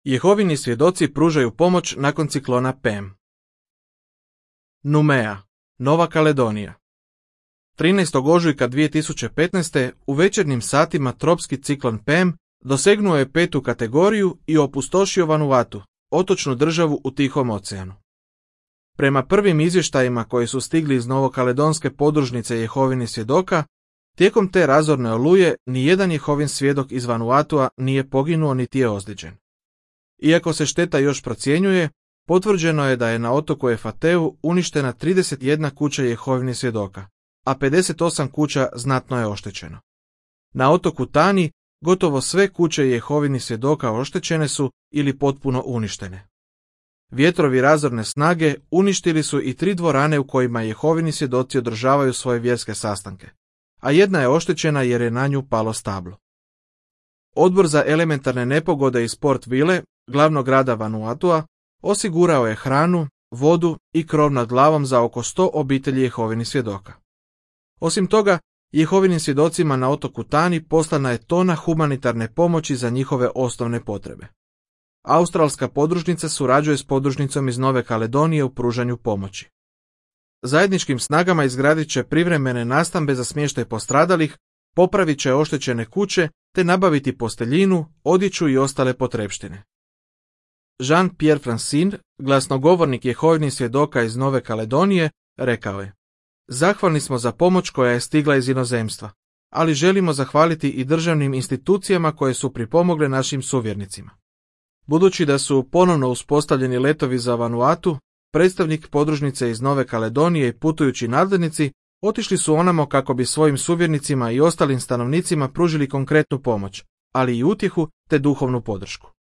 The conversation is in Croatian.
Jehovini svjedoci pružaju pomoć nakon ciklona Pem. Numea, Nova Kaledonija. 13. ožujka 2015. u večernjim satima tropski ciklon Pem dosegnuo je 5. kategoriju i opustošio Vanuatu, otočnu državu u Tihom oceanu. Prema prvim izvještajima koji su stigli iz novokaledonske podružnice Jehovinih svjedoka, tijekom te razorne oluje nijedan Jehovin svjedok iz Vanuatua nije poginuo niti je ozlijeđen. Iako se šteta još procjenjuje, potvrđeno je da je na otoku Efateu uništena 31 kuća Jehovinih svjedoka, a 58 kuća znatno je oštećeno. Na otoku Tani gotovo sve kuće Jehovinih svjedoka oštećene su ili potpuno uništene. Vjetrovi razorne snage uništili su i 3 dvorane u kojima Jehovini svjedoci održavaju svoje vjerske sastanke, a jedna je oštećena jer je na nju palo stablo. Odbor za elementarne nepogode iz Port Vile, glavnog grada Vanuatua, osigurao je hranu, vodu i krov nad glavom za oko 100 obitelji Jehovinih svjedoka. Osim toga, Jehovinim svjedocima na otoku Tani poslana je tona humanitarne pomoći za njihove osnovne potrebe. Australska podružnica surađuje s podružnicom iz Nove Kaledonije u pružanju pomoći. Zajedničkim snagama izgradit će privremene nastambe za smještaj postradalih, popravit će oštećene kuće te nabaviti posteljinu, odjeću i ostale potrepštine. Jean-Pierre Francine, glasnogovornik Jehovinih svjedoka iz Nove Kaledonije, rekao je: "Zahvalni smo za pomoć koja je stigla iz inozemstva, ali želimo zahvaliti i državnim institucijama koje su pripomogle našim suvjernicima." Budući da su ponovno uspostavljeni letovi za Vanuatu, predstavnik podružnice iz Nove Kaledonije i putujući nadglednici otišli su onamo kako bi svojim suvjernicima i ostalim stanovnicima pružili konkretnu pomoć, ali i utjehu te duhovnu podršku.